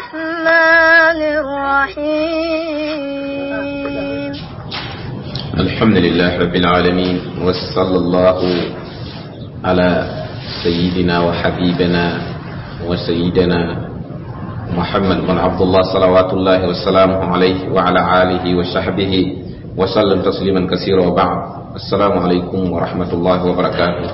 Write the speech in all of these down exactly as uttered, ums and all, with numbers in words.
الرحمن الرحيم. الحمد لله رب العالمين، وصلى الله على سيدنا وحبيبنا وسيدنا محمد بن عبد الله صلوات الله وسلامه عليه وعلى آله وصحبه وسلم تسليما كثيرا، وبعد، السلام عليكم ورحمة الله وبركاته.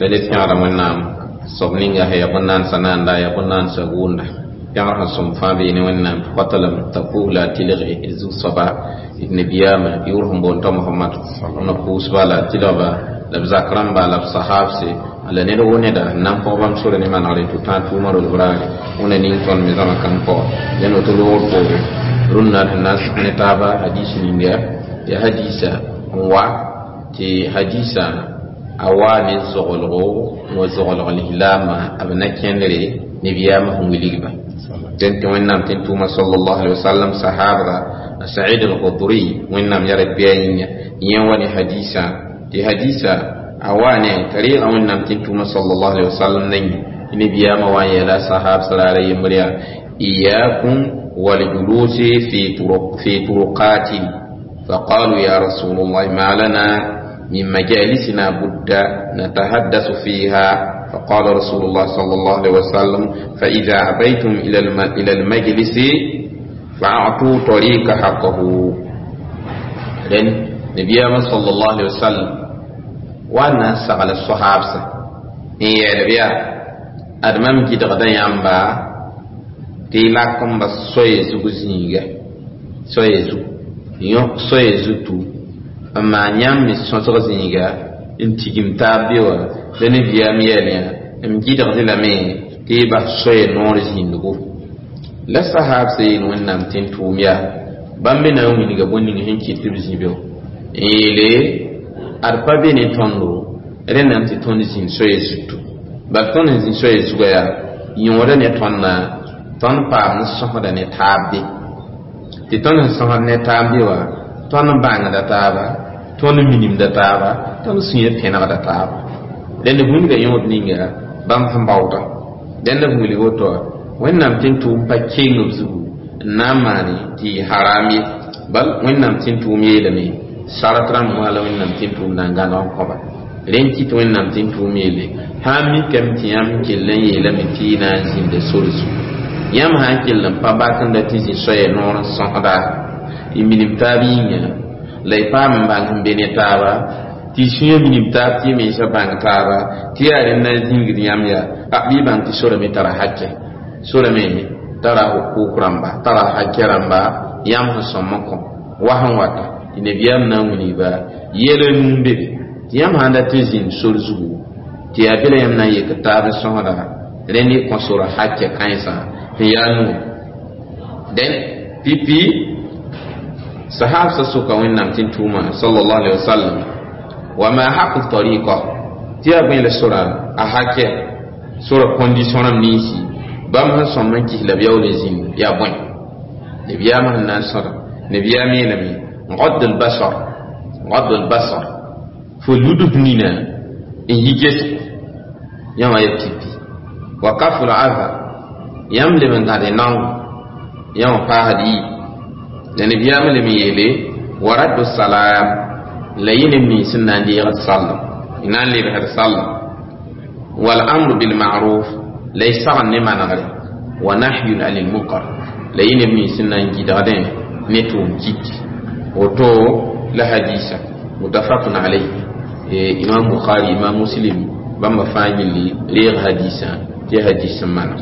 لدي في على منام صبنينغا هي بنان سنان لا يا بنان سغون pẽgr sẽn sõm fãa beene Wẽnnaam kotalem t'a puugla a tɩlge zu-soaba nebiyama yʋʋr sẽn boond t'a Mohamad na pʋʋsba la a tɩlgba la b zak rãmba la b sahabse la ned wo neda n na n pɔg bãmb sore ne manegre tɩ tãag tʋʋmã rolb raare wẽna ning tõnd me zãma kãng pʋga dẽn woto loogr poore rũnnã d sẽn na n sʋk ne taaba hadiis ninga yaa hadiisa n wa tɩ hadiisã a waa ne zoglgo wa zoglg lislaamã b na kẽndre nebiyaamã sẽn wilgba dẽn tɩ Wẽnnaam tɩ n tʋʋma sallallahu alaihi wasallam sahabra Said al-Khudri Wẽnnaam yaa bɩa yĩnga yẽ wa ne hadiisã tɩ hadiisã a waa ne t'a reega Wẽnnaam tɩ n tʋʋma sallallahu alaihi wasallam nengẽ tɩ nebiyaamã wa n yeela sahab sra ra yembr yaa إياكم والجلوس في طرق في طرقات. فقالوا يا رسول الله، ما لنا من مجالسنا بد نتحدث فيها؟ فقال رسول الله صلى الله عليه وسلم: فإذا أبيتم إلى إلى المجلس فأعطوا طريق حقه. لأن نبي صلى الله عليه وسلم وانا سأل الصحابة إن يا أدمام جد غدا يامبا tɩ lak n bas soaya zug zĩiga soaya zug yõk soaya zutu n maan yãmb me sõsg zĩiga n tigim taab be wã la nebiyaam yɛl yã m gɩdgd lame tɩ y bas soaya noor zĩndgo la sahab sã yeel Wẽnnaam tɩ n tʋʋm yaa bãmb me na n wilga bõe ning sẽn kɩt tɩ b zĩ be n yeele ad pa be ne tõndo rẽndame tɩ tõnd zĩnd soaya zutu bal tõnd sẽn zĩ soaya zugã yaa yõoda ne tõndã tõnd paam n sõsda ne taab be tɩ tõnd sẽn sõsd ne taab be wã tõnd bãngda taaba tõnd minimda taaba tõnd sũyã pẽnegda taaba dẽnd wilga yõod ninga bãmb sẽn baoodã dẽnd b wilg woto Wẽnnaam tɩ n tʋʋm pa keng b zugu n na n maane tɩ yɩ haram ye bal Wẽnnaam tɩ n tʋʋm yeelame sarat rãmb wã la Wẽnnaam tɩ n tʋʋm na n gãneg n kõba rẽn kɩt Wẽnnaam tɩ n tʋʋm yeele sã n mikame tɩ yãmb kell n yeelame tɩ y na n zĩnda sore zugu yãmb sã n kell n pa bak n dat tɩ zĩ soaya noor n sõsda y minim taab yĩnga la y paam n bãng n be ne taaba tɩ y sũyã minim taab tɩ y mensã bãng taaba tɩ yaa rẽnd na n zĩngd yãmb yaa a bɩ y bãng tɩ sora me tara hakɛ sora me tara hukuk rãmba tara hakɛ rãmba yãmb sẽn sõm n kõ wa sẽn wata tɩ nebiyaam na n wilgba yɛla nuu n be be tɩ yãmb sãn dat n zĩnd sor zugu tɩ yaa be la yãmb na n yek taab n sõsda rẽnd y kõ sora hakɛ kãensã sẽn yaa nuu dẽn pipi sahab sa soka Wẽnnaam tɩ n tʋʋma sallallahu alaihi wasallam wa ma haqu tariqa tɩ yaa bõe la sora a hakɛ sora condition rãmb ninsi bãmb sẽn sõm n kis la b yaool n zĩnd yaa bõe nebiyaamã sẽn na n sõda nebiyaam yeelame غض البصر غض البصر fo ludf nina n yi gesg yãwã ya pipi wa kafu l-adha yãmb leb n gãde naongo yãwã paasd yi la nebiyaamã lem n yeele wa raddu salam la yẽ neb nins n na n deegd sallem n na n lebsd sallem wal amru bilma'ruf la y sagn ne manegre wa nahyun anil munkar la yẽ neb nins n na n gɩdgdẽ ne tʋʋm kit woto la hadisa mutafaqun alayh Imam Bukhari, Imam Muslim bãmba fãa gilli reeg hadisã tɩ hadis n maneg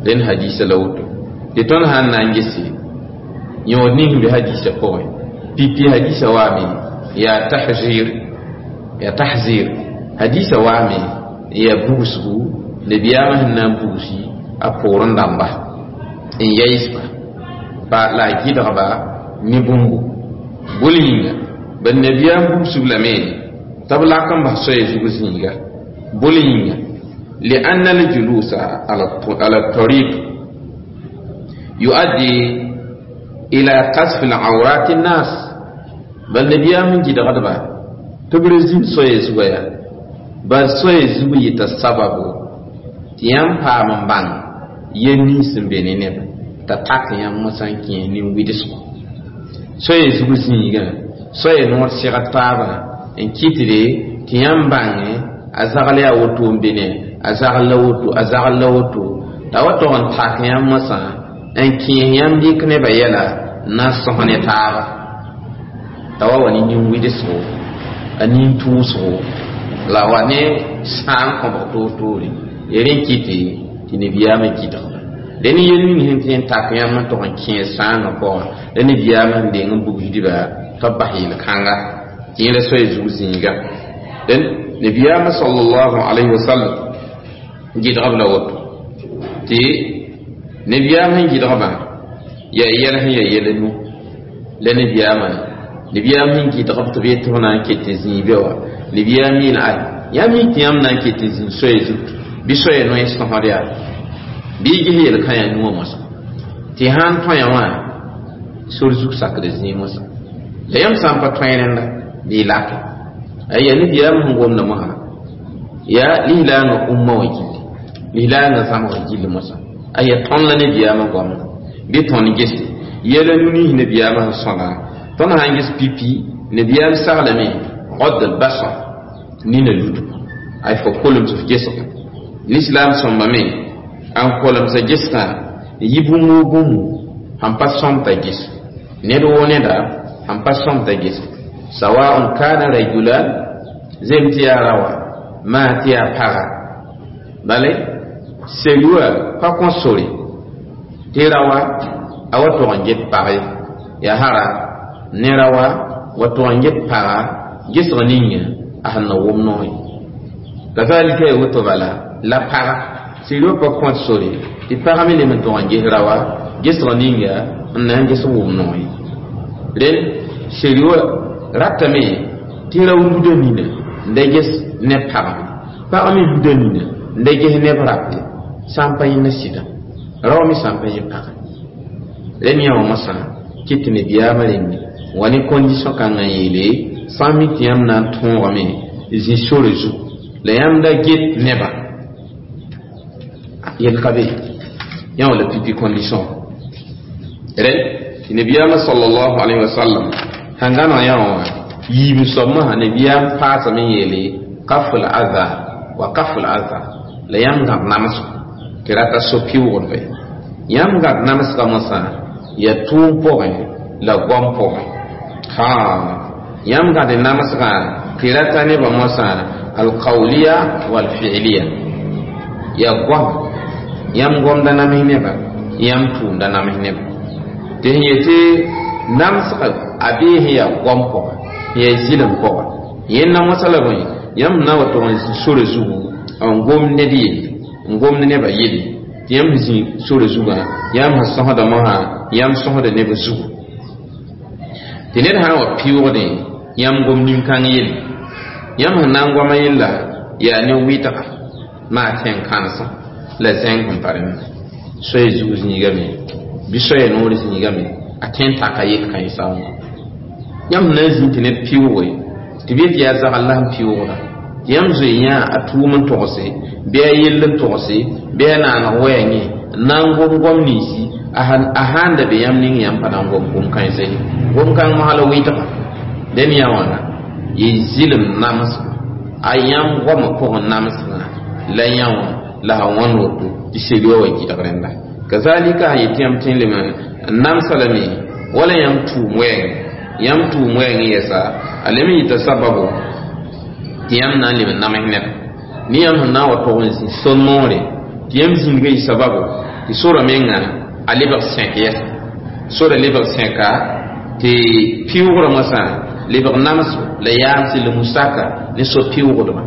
rẽnd hadisa la woto tɩ tõnd sã n na n gese yõod ning sẽn be hadisã pʋgẽ pipi hadisã waame yaa tahzir yaa tahzir hadisã waame n yaa bugsgu nebiyaamã sẽn na n bugsi a poorẽ dãmba n yaɩsba ba la a gɩdgba ne bũmbu bol yĩnga bad nabiyaam bugsb lame t'a b lak n bas soaya zug zĩiga bol yĩnga لأن الجلوس على الطريق يؤدي إلى قذف العورات الناس بل نبيام من جد غدبا تبرزين سوي زويا بل سوي زوي تسبب تيام پام بان يني سنبني نبا t'a tak yãmb mosã n kẽes nin-wɩdsgo soaya zug zĩigã soaya noor segd taabã n kɩtde tɩ yãmb bãngẽ a zagl yaa woto n be ne a zagl la woto a zagl la woto t'a wa tog n tak yãmb mosã n kẽes yãmb dɩk nebã yɛla n na n sõs ne taaba t'a wa wa ne nin-wɩdsgo a nin-tʋʋsgo la wa ne sãam kõbg toor-toore ya rẽ kɩte tɩ nabiyaamã gɩdgba la ne yel ning sẽn tõe n tak yãmb n tog n kẽes sãangã pʋgã la nabiyaamã sẽn deng n bugsdba tɩ b bas yel-kãnga tɩ yẽla soaya zug zĩiga dẽn nabiyaamã sallallahu alayhi wa sallam gɩdgb la woto tɩ nabiyaam sẽn gɩdgbã yaa yɛl sẽn yaa yɛl nu la nabiyaamã nabiyaam sẽn gɩdgb tɩ b yet tɩ f na n ket n zĩig be wa nabiyaam yeel ay yãmb mi tɩ yãmb na n ket n zĩig soaya zutu bɩ soaya noe sõsd yaa bɩ y ges yel-kã yaa nuwã moasã tɩ sã n tõe wã sor zug sakd zĩig moasã la yãmb sã n pa tõe rẽnda bɩ y lake aya nabiyaam sẽn gomda mosã yaa lislaangã umma wã gilli lislaangã zãmsgã gilli moasã aya tõnd la nabiyaamã goamda bɩ tõnd gese yɛla nu nins nabiyaamã sẽn sõda tõnd sã n ges pipi nabiyaam saglame غض البصر nina ludu ay fo kolem f gesga l'islam sõmba me n kolemsa gesgã yi bũmb woo bũmb sẽn pa sõm t'a ges ned woo neda sẽn pa sõm t'a ges sawaun kana rajulan zem tɩ yaa rawa maa tɩ yaa paga bale selua pa kõ sore tɩ rawa a wa tog n get pag ye yaa hara ne rawa wa tog n get paga gesg ninga a sẽn na wʋm noor ye kazalika ya woto bala la paga sɩd pa kõt sore tɩ pag me lem n tog n ges rawa gesg ninga n na n ges wʋm noor ye rẽnd seri wã ratame tɩ rao luda nina n da ges neb pagame pag me luda nina n da ges neb rap ye sã n pa yẽnda sɩda rao me sã n pa yẽ paga rẽnd yã wã mosã kɩt tɩ nabiyaamã rẽnde wa ne condition kãngã n yeele sã n mi tɩ yãmb na n tõogame zĩ sore zugu la yãmb da get nebã yel ka be yã wã la pipi condition rẽnd tɩ nabiyaamã sallallahu alayhi wa sallam sẽn gãneg yã wã yiib soab mosã nabiyaam paasame n yeele kaful adha wa kaful adha la yãmb gãb namsgo tɩ rata so-pɩʋʋgdba ye yãmb gãb namsgã mosã yaa tʋʋm pʋgẽ la goam pʋgẽ ha yãmb gãd namsgã tɩ rata nebã mosã alqawliya walfi'liya yaa goam yãmb gomda nams neba yãmb tʋʋmda nams neba tɩ sẽn yetɩ namsga a bee sẽn yaa goam pʋga sẽn yaa zɩlem pʋga yẽnda mosã la bõe yãmb na wa tog n zĩ sore zugu n gom ned yelle n gomd nebã yelle tɩ yãmb sẽn zĩ sore zugã yãmb sẽn sõsda mosã yãmb sõsda neb zugu tɩ ned sã n wa pɩʋʋgdẽ yãmb gom nin-kãng yelle yãmb sẽn na n goama yella yaa ne wɩtga maa tẽn-kãnsã la zẽng sẽn pa rẽnda soaya zug zĩigame bɩ soaya noor zĩigame a tõe n taka yel-kãensã wã yãmb sẽn na n zĩ tɩ ned pɩʋʋge tɩ b yet yaa zagl la sẽn pɩʋʋgda tɩ yãmb zoe yã a tʋʋm n togse bɩ a yell n togse bɩ a naaneg wɛɛ yẽ n na n gom goam ninsi a sãn da be yãmb ning yãmb pa na n gom gom-kãensã ye gom-kãng mosã la wɩtga dẽn yã wãna yɩ zɩlem namsgo a yãmb goamã pʋgẽ namsgã la yã wã la sã wãnd woto tɩ seri wã wa gɩdg rẽnda kazalika sã yetɩ yãmb tõe n lem n namsa lame wala yãmb tʋʋm wɛɛngẽ yãmb tʋʋm wɛɛngẽ yɛsa a lem n yɩta sababu tɩ yãmb na n lem n nams neda ne yãmb sẽn na n wa tog n zĩ sor-noore tɩ yãmb zĩnigã yɩ sababu tɩ sora menga a lebg sẽk yɛsa sora lebg sẽka tɩ pɩʋʋgrã mosã lebg namsgo la yaamse la musaka ne so-pɩʋʋgdbã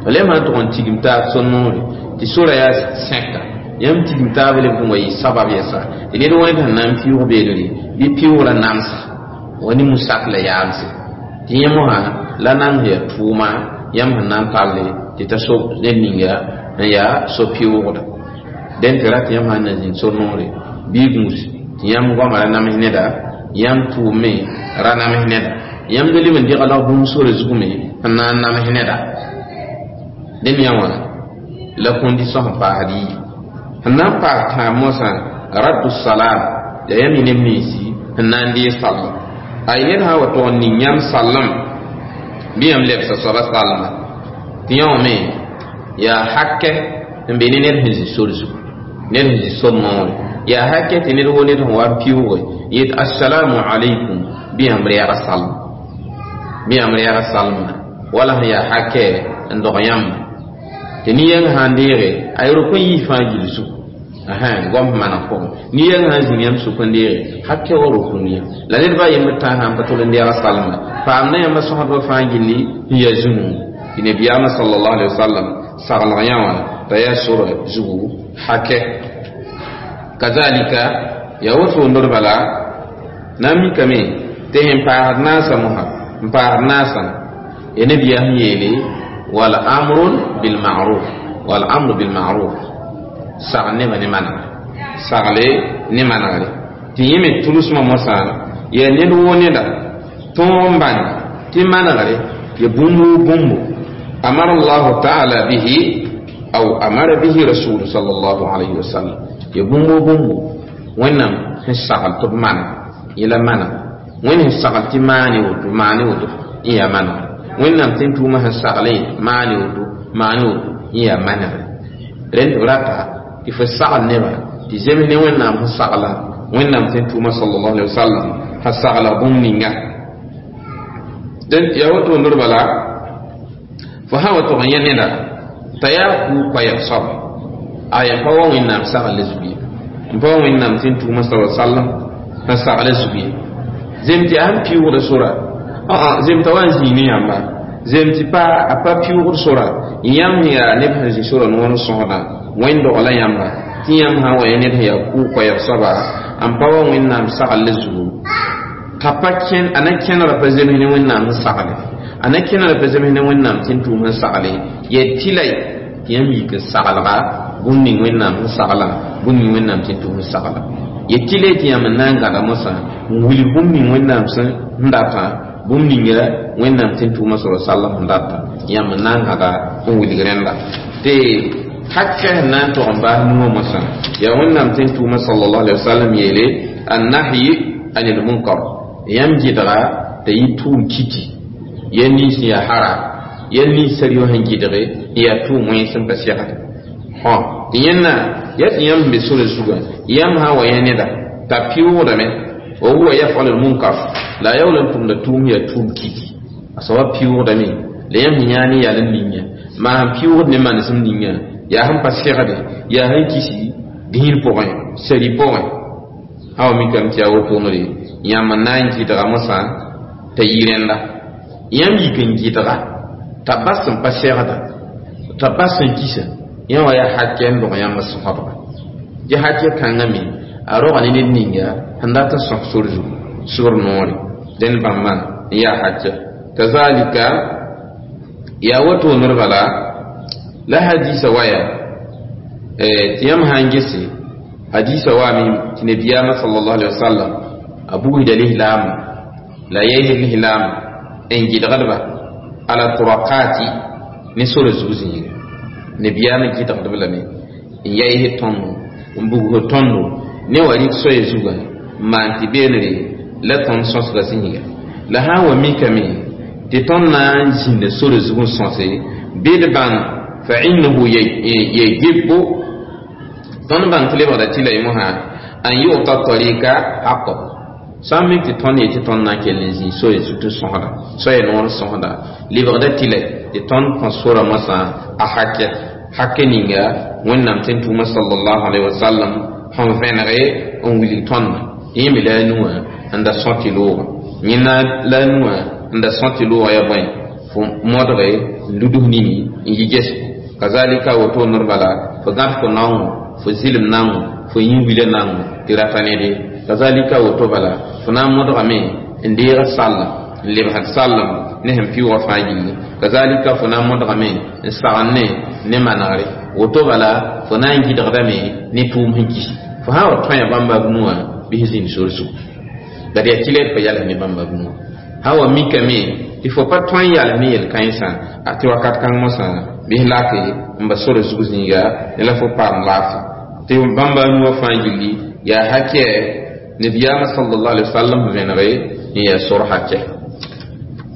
la yãmb sã n tog n tigim taab sor-noore tɩ sora yaa sẽka yãmb tigim taab lebg n wa yɩ sabab yɛsa tɩ ned wẽnd sẽn na n pɩʋʋg beelre bɩ pɩʋʋgrã namsa wa ne musak la yaamse tɩ yẽ mosã la nan yaa tʋʋma yãmb sẽn na n talle tɩ ta so ned ninga n yaa so-pɩʋʋgda dẽn tɩ rat yãmb sãn na zĩnd sor-noore bɩ gũus tɩ yãmb goamã ra nams neda yãmb tʋʋm me ra nams neda yãmb da leb n degl bũmb sore zug me n na n nams neda dẽn yã wã la condition sẽn paasd yii sẽn na n paas tãab mosã Raddu salam ya yãmb yẽ neb ninsi sẽn na n deeg sallem ay ned sã n wa tog n ning yãmb sallem bɩ yãmb lebsa soaba sallma tɩ yã wã me yaa hakɛ n be ne ned sẽn zĩ sor zugu ned sẽn zĩ sor noore yaa hakɛ tɩ ned wo ned sẽn wa n pɩʋʋge yet assalamu alaikum bɩ yãmb rɛɛga sallem bɩ yãmb rɛɛga salma wala sẽn yaa hakɛ n dog yãmba tɩ nin-yɛng sã n deege a rok n yiis fãa gill zugu goam sẽn maneg pʋgẽ nin-yɛng sã n zĩng yãmb sʋk n deege hakɛ wa rok n yã la ned ba yembr tã sã n pa tol n deega salma paamda yãmba sõsdbã fãa gilli n yaa zũnu tɩ nabiyaamã sallallahu alaihi wasallam saglg yã wã t'a yaa sora zugu hakɛ kazalika yaa woto ndr bala na n mikame tɩ sẽn paasd naasã mosã n paasd naasã ya nabiyaa sẽn yeele wal amru bil ma'ruf wal amru bil ma'ruf sagl nebã ne manegre sagle ne manegre tɩ yẽ me tʋlsmã mosã yaa ned woo neda tõog n bãng tɩ manegre ya bũmb woo bũmbo amara allahu taala bihi aw amara bihi rasulu sallallahu alayhi wa sallam ya bũmb woo bũmbo wẽnnaam sẽn sagl tɩ b maneg yẽla maneg wẽnd sẽn sagl tɩ maane woto maane woto n yaa manegre wẽnnaam tɩ n tʋʋmã sẽn sagle maane woto maane woto n yaa manegre rẽnd tɩ b rata tɩ fo sagl nebã tɩ zems ne wẽnnaam sẽn sagla wẽnnaam tɩ n tʋʋmã sallallahu alaihi wasallam sã sagla bũmb ninga dẽn yaa woto ndr bala fo sã wa tog n yẽ neda t'a yaa kuu koɛɛg soaba aya n pa wa wẽnnaam sagl zug ye n pa wa wẽnnaam tɩ n tʋʋmã sa sallam sã sagla zug ye zem tɩ a sẽn pɩʋʋgda sora zem t'a wa n zĩig ne yãmba zem tɩ pa a pa pɩʋʋgd sora yãmb sẽn yaa neb sẽn zĩ sora noor n sõsdã wẽnd dogla yãmba tɩ yãmb sã n wa yẽ ned sẽn yaa kʋʋ koɛɛg soaba n pa wa wẽnnaam sagl zugu t'a pa kẽn a na kẽnegda pa zems ne wẽnnaam sẽn sagle a na kẽnegda pa zems ne wẽnnaam tɩ n tʋʋm sẽn sagle yaa tɩla tɩ yãmb yik n saglga bũmb ning wẽnnaam sẽn sagla bũmb ning wẽnnaam tɩ n tʋʋm sẽn sagla ya tɩla tɩ yãmb n na n gãda mosã n wilg bũmb ning wẽnnaam sẽn datã bũmb ninga wẽnnaam tɩ n tʋʋmã sa sallam sẽn data yãmb n na n gãda n wilg rẽnda tɩ hakɛ sẽn na n tog n baas nuwã mosã yaa wẽnnaam tɩ n tʋʋmã sallallahu alaihi wasallam yeele annahyi anil munkar yãmb gɩdga t'a yɩ tʋʋm kiti yɛl nins sẽn yaa haram yɛl nins sar-yo sẽn gɩdge n yaa tʋʋm wẽns n pa segd hõ tɩ yẽnna yaa tɩ yãmb sẽn be sora zugã yãmb sã n wa yẽ neda t'a pɩʋʋgdame wa huwa yafalu lmunkar la a yaool n tʋmda tʋʋm yaa tʋʋm kiti a soaba pɩʋʋgdame la yãmb sẽn yãa ne yal n ninga maa sẽn pɩʋʋgd ne manesem ninga yaa sẽn pa segde yaa sẽn kisi dĩir pʋgẽ sari pʋgẽ sã wa mikame tɩ yaa wotonre yãmb n na n gɩdga mosã t'a yɩ rẽnda yãmb yik n gɩdga t'a bas n pa segda t'a bas n kisa yã wa yaa hakɛ n dog yãmb sõsdga tɩ hakɛ kãngã me a roga ne ned ninga sẽn dat n sõs sor zugu sor noore dẽnd bãmba n yaa hakɛ kazalika yaa woto ned bala la hadisa waya tɩ yãmb sã n gese hadisa waame tɩ nabiyaamã sallallahu alaihi wasallam a bugsda lislaamã la yɛɛs lislaamã n gɩdgdba ala turakati ne sora zug zĩiga nabiyaamã gɩdgdb lame n yɛɛs tõndo n bugsd tõndo ne wa rɩk soaya zugã n maan tɩ beenre la tõnd sõsga zĩiga la sã n wa mikame tɩ tõnd na n zĩnda sora zug n sõse bɩ d bãng fa innahu yajibu tõnd bãng tɩ lebgda tɩ la y mosã an yu'ta tarika haqqahu sã n mik tɩ tõnd yetɩ tõnd na n kell n zĩ soaya zug tɩ sõsda soaya noor n sõsda lebgda tɩ la tɩ tõnd kõ sora mosã a hakɛ hakɛ ninga wẽnnaam tɩ n tʋʋmã sallallahu alaihi wasallam sẽn vẽnege n wilg tõndã yẽ me la a nuwã n da sõ tɩ loogã yẽna la a nuwã n da sõ tɩ loogã yaa bõe fo modge n luds nini n yi gesgo kazalika woto ned bala fo gãd fo naoongõ fo zɩlem naoongõ fo yĩn wila naoongõ tɩ rata nede kazalika woto bala fo na n modgame n deeg sallem n lebsd sallem ne sẽn pɩʋʋgã fãa gilli kazalika fo na n modgame n sagn ne ne manegre woto bala fo na n gɩdgdame ne tʋʋm sẽn kis fo sã n wa tõe bãmba b nuwã bɩ sẽn zĩnd sor zugu la d yaa tɩ la d pa yals ne bãmba b nuwã sã wa mikame tɩ fo pa tõe n yals ne yel-kãensã a tɩ wakat kãng mosã bɩ lake n ba sora zug zĩiga ne la fo paam laafɩ tɩ bãmba nuwã fãa gilli Yaa hakɛ nabiyaamã sallallahu alaihi wasallam vẽnege n yaa sor hakɛ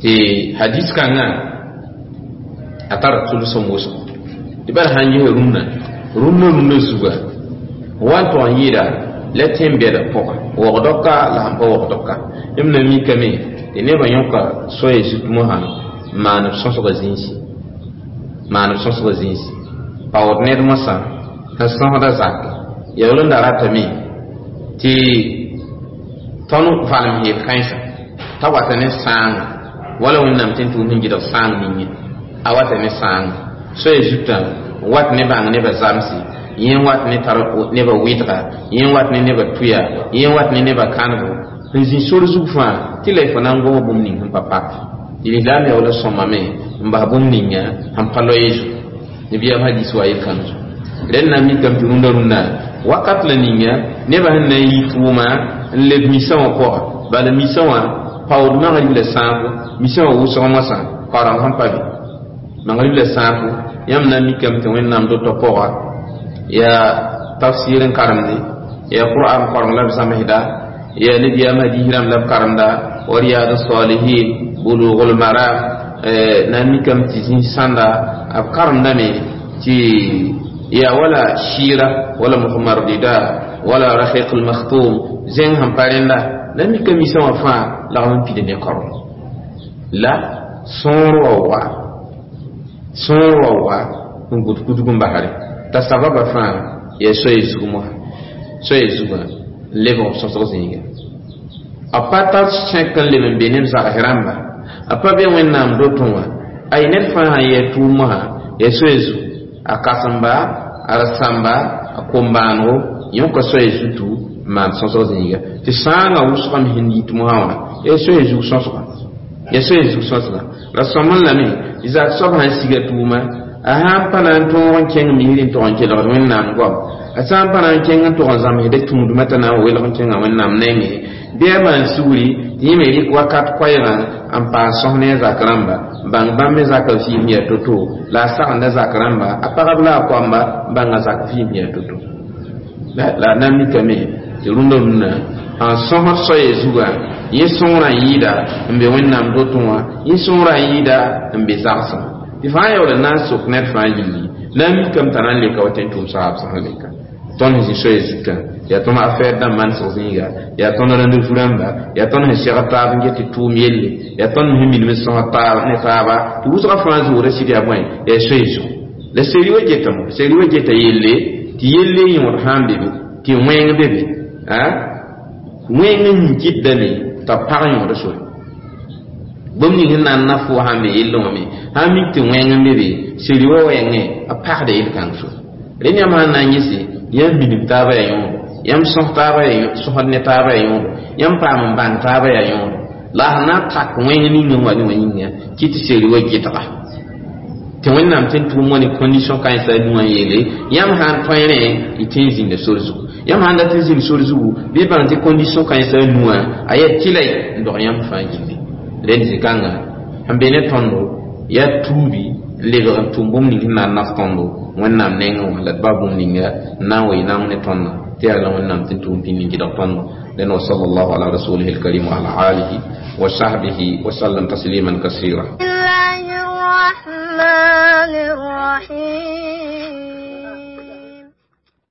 tɩ hadis kãngã a tara tʋlsem wʋsgo tɩ bala sãn ges rũnnã rũnnã rũnnã zuga wa n tog n yɩɩda la tẽn bɛda pʋga wogdka la sãn pa wogdka yãmb na mikame tɩ nebã yõka soaya zut mosã n maan b sõsgã zĩisi maan b sõsgã zĩisi paood ned mosã sẽn sõsda zake yaool n da ratame tɩ tõnd valem heel kãensã t'a wata ne sãanga wala wẽnnaam tɩ n tʋʋm sẽn gɩdg sãang ninge a wata ne sãanga soaya zutã n wat ne bãng nebã zamse yẽ wat ne tar nebã wɩdga yẽ wat ne nebã tʋya yẽ wat ne nebã kãnego n zĩ sor zug fãa tɩ la y fo na n gos bũmb ning sẽn pa pak tɩ lislaam yaoola sõmame n bas bũmb ninga sẽn pa loe zugu nebiyaam hadis wa yel-kãng zugu rẽnd na n mikame tɩ rũndã rũndã wakat la ninga nebã sẽn na n yi tʋʋma n leb misã wã pʋga bala misã wã paood magrib la sãafo misã wã wʋsg moasã kaoreng sẽn pa be magrib la sãafo yãmb na n mikame tɩ wẽnnaam dotã pʋga yaa tafsir n karemde yaa qur'an koreng la b zãmsda yaa nebiyaam hadis rãmb la b karemda wa riyad salihin bulugul maram na n mikame tɩ zĩis sãnda b karemdame tɩ yaa wala shira wala muhammad rida wala rahiq almakhtum zẽng sẽn pa rẽnda na mika misã wã fãa lagm n pid ne kaoreng la sõor wa wa sõor wa wa n gʋd kudg n basre t'a sababa fãa yaa soaya zug mosã soaya zugã n lebg b sõsg zĩiga a pa tar sẽk n leb n be neb zags rãmba a pa be wẽnnaam dotẽ wã ay ned fãa sã yɛ tʋʋm mosã yaa soaya zug a kãsemba a rasãmba a kom-baanego yõka soaya zutu n maan sõsg zĩiga tɩ sãangã wʋsgame sẽn yit mosã wã yaa soaya zug sõsga yaa soaya zug sõsga la sõm n lame zak soab sãn siga tʋʋma a sãn pa na n tõog n kẽng misr n tog n kelgd wẽnnaam goam a sã n pa na n kẽng n tog n zãmsda tũudmã t'a na n welg n kẽngã wẽnnaam nengẽ bɩ a maan sugri tɩ yẽ me rɩk wakat koɛɛgã n paas sõs ne a zak rãmba bãng bãmb me zakã vɩɩm yaa to-to la a sagenda zak rãmba a pagb la a koamba bãnga zak vɩɩm yaa to-to la a na n mikame tɩ rũndã rũndã sãn sõsd soaya zugã yẽ sõorã n yɩɩda n be wẽnnaam dotẽ wã yẽ sõorã n yɩɩda n be zagsẽ tɩ fãa yaool n na n sok ned fãa yilli na n mikame t'a na n leka wa tɩ n tʋʋm saab sẽn leka tõnd sẽn zĩ soaya zutã yaa tõnd afɛɛr dãmb manesg zĩiga yaa tõnd rãnd fu-rãmba yaa tõnd sẽn segd taab n get tɩ tʋʋm yelle yaa tõnd sẽn minim n sõsd taab ne taaba tɩ wʋsgã fãa zoora sɩd yaa bõe yaa soaya zugu la seri wa getame seri wa geta yelle tɩ yelle yõod sã n be be tɩ wẽng be be wẽng n kɩtdame t'a pag yõoda sore bũmb ning sẽn na n na fo sãn be yellẽ wã me sãn mik tɩ wẽng n be be seri wa wẽngẽ a pagda yel-kãng sore rẽnd yãmb sãn na n gese yãmb minim taabã yaa yõodo yãmb sõs taabã sõsd ne taabã yaa yõodo yãmb paam n bãng taabã yaa yõodo la a sẽn na n tak wẽng ning n wa ne wã yĩnga kɩ tɩ seri wa gɩdga tɩ wẽnnaam tɩ n tʋʋm wa ne condition kãensã a nu wã n yeele yãmb sã n tõe rẽ y tɩ n zĩnda sor zugu yãmb sãn dat n zĩnd sor zugu bɩ bãng tɩ condition kãensã a nu wã a yaa tɩla n dog yãmb fãa yĩnge rẽnd zĩ-kãnga sẽn be ne tõndo yaa tuubi n lebg n tʋm bũmb ning sẽn na n naf tõndo wẽnnaam nengẽ wã la d ba bũmb ninga n na n wee naong ne tõnda tɩ yaa la wẽnnaam tɩ n tʋʋm pĩnd n gɩdg tõndo لأن وصلى الله على رسوله الكريم وعلى آله وصحبه وسلم تسليما كثيرا. الله الرحمن الرحيم.